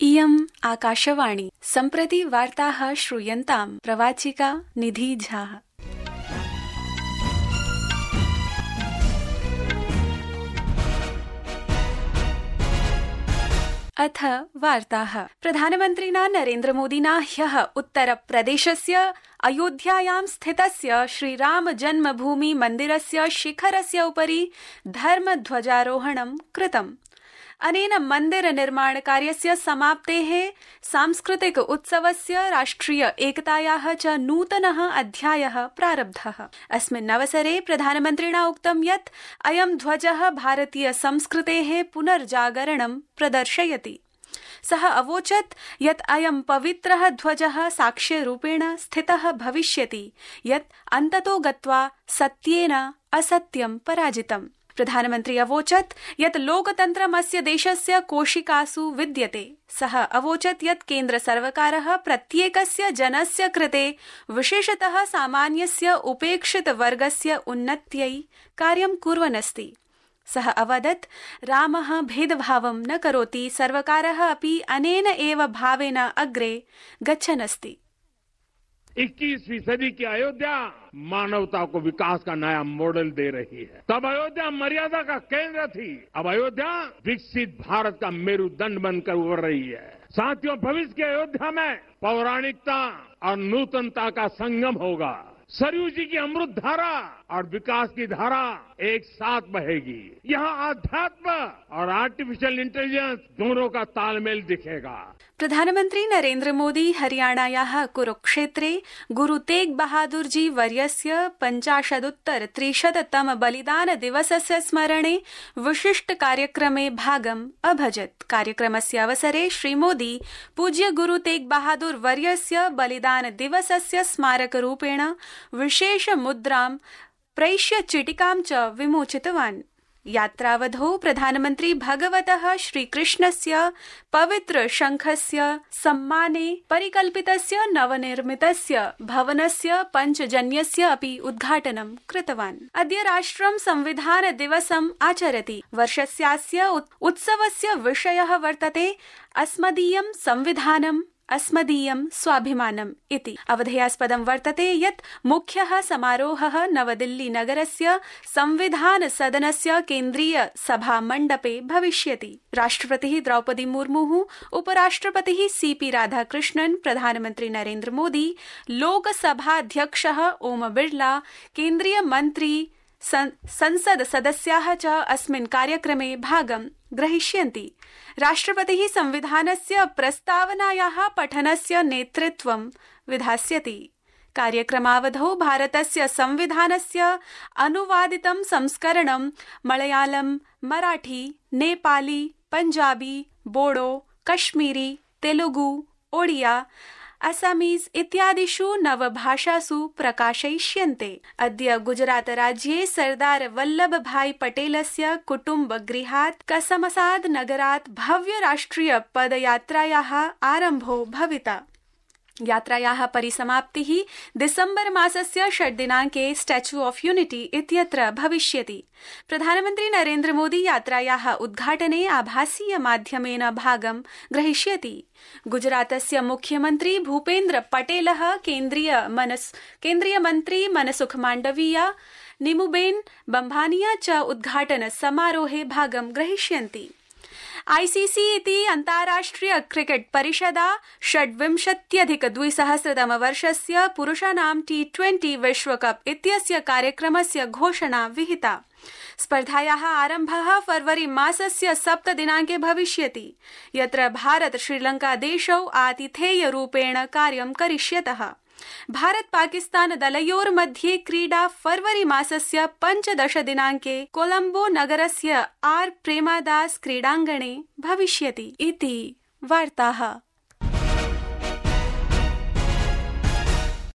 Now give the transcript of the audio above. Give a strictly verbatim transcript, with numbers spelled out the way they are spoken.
इयम् आकाशवाणी। सम्प्रति वार्ताः श्रूयन्ताम्। प्रवाचिका निधि झा। अथ वार्ताः। प्रधानमन्त्रिणा नरेन्द्रमोदिना ह्यः उत्तरप्रदेशस्य अयोध्यायां स्थितस्य श्रीराम जन्मभूमि मन्दिरस्य शिखरस्य उपरि धर्मध्वजारोहणं कृतम्। अनेन मन्दिर निर्माण कार्यस्य समाप्तेः सांस्कृतिक उत्सवस्य राष्ट्रिय एकतायाः च नूतनः अध्यायः प्रारब्धः। अस्मिन् अवसरे प्रधानमन्त्रिणा उक्तं यत् अयं ध्वजः भारतीय संस्कृतेः पुनर्जागरणं प्रदर्शयति। सः अवोचत् यत् अयं पवित्रः ध्वजः साक्ष्यरूपेण स्थितः भविष्यति यत् अन्ततो गत्वा सत्येन असत्यं पराजितम्। प्रधानमन्त्री अवोचत् यत् लोकतन्त्रम् अस्य देशस्य कोशिकासु विद्यते। सः अवोचत् यत् केन्द्र सर्वकारः प्रत्येकस्य जनस्य कृते विशेषतः सामान्यस्य उपेक्षित वर्गस्य उन्नत्यै कार्यं कुर्वन् अस्ति। सः अवदत् रामः भेदभावं न करोति, सर्वकारः अपि अनेन एव भावेन अग्रे गच्छन् अस्ति। इक्कीसवीं सदी की अयोध्या मानवता को विकास का नया मॉडल दे रही है। तब अयोध्या मर्यादा का केंद्र थी, अब अयोध्या विकसित भारत का मेरुदंड बनकर उभर रही है। साथियों, भविष्य की अयोध्या में पौराणिकता और नूतनता का संगम होगा। सरयू जी की अमृत धारा और विकास की धारा एक साथ बहेगी। यहाँ आध्यात्म और आर्टिफिशियल इंटेलिजेंस दोनों का तालमेल दिखेगा। प्रधानमन्त्री नरेन्द्र मोदी हरियाणायाः कुरुक्षेत्रे गुरु तेग बहादुर जी वर्यस्य पञ्चाशदुत्तर त्रिशततम बलिदान दिवसस्य स्मरणे विशिष्ट कार्यक्रमे भागम् अभजत्। कार्यक्रमस्य अवसरे श्रीमोदी पूज्य गुरु तेग बहादुर वर्यस्य बलिदान दिवसस्य स्मारकरूपेण विशेष मुद्रां प्रैष्य चिटिकां च विमोचितवान्। यात्रावधौ प्रधानमन्त्री भगवतः श्रीकृष्णस्य पवित्र शङ्खस्य सम्माने परिकल्पितस्य नवनिर्मितस्य भवनस्य पञ्चजन्यस्य अपि उद्घाटनं कृतवान्। अद्य राष्ट्रं संविधान दिवसम् आचरति। वर्षस्यास्य उत्सवस्य विषयः वर्तते अस्मदीयं संविधानम् अस्मदीयं स्वाभिमानम् इति। अवधेयास्पदं वर्तते यत् मुख्यः समारोहः नवदिल्ली नगरस्य संविधान सदनस्य केन्द्रीय सभा मण्डपे भविष्यति। राष्ट्रपतिः द्रौपदी मुर्मुः, उपराष्ट्रपतिः सीपी राधाकृष्णन्, प्रधानमन्त्री नरेन्द्र मोदी, लोकसभाध्यक्षः ओम बिर्ला, केन्द्रीय मन्त्री, संसद सदस्याः च अस्मिन् कार्यक्रमे भागं ग्रहीष्यन्ति। राष्ट्रपतिः संविधानस्य प्रस्तावनायाः पठनस्य नेतृत्वं विधास्यति। कार्यक्रमावधौ भारतस्य संविधानस्य अनुवादितं संस्करणं मलयालम, मराठी, नेपाली, पञ्जाबी, बोडो, कश्मीरी, तेलुगु, ओडिया, असमीज इत्यादिषु नवभाषासु प्रकाशयिष्यन्ते। अद्य गुजरात राज्ये सरदार वल्लभ भाई पटेलस्य कुटुम्ब गृहात् कसमसाद नगरात् भव्य राष्ट्रिय पदयात्रायाः आरम्भो भविता। यात्रायाः परिसमाप्तिः दिसम्बर मासस्य षड् दिनाङ्के स्टैच्यू ऑफ यूनिटी इत्यत्र भविष्यति। प्रधानमन्त्री नरेन्द्र मोदी यात्रायाः उद्घाटने आभासीय माध्यमेन भागं ग्रहीष्यति। गुजरातस्य मुख्यमन्त्री भूपेन्द्र पटेलः, केन्द्रीय मनस् केन्द्रीय मन्त्री मनसुख माण्डवीया, निमुबेन बम्भानिया च उद्घाटन समारोहे भागं ग्रहीष्यन्ति। आईसीसी इति अन्ताराष्ट्रिय क्रिकेट परिषदा षड्विंशत्यधिक द्विसहस्रतम वर्षस्य पुरुषाणां टी ट्वेंटी विश्वकप इत्यस्य कार्यक्रमस्य घोषणा विहिता। स्पर्धायाः आरम्भः फरवरी मासस्य सप्त दिनाङ्के भविष्यति, यत्र भारत श्रीलंका देशौ आतिथेयरूपेण कार्यं करिष्यतः। भारत पाकिस्तान दलयोर्मध्ये क्रीडा फरवरी मासस्य पञ्चदश दिनाङ्के कोलम्बो नगरस्य आर प्रेमादास क्रीडाङ्गणे भविष्यति इति वार्ताः।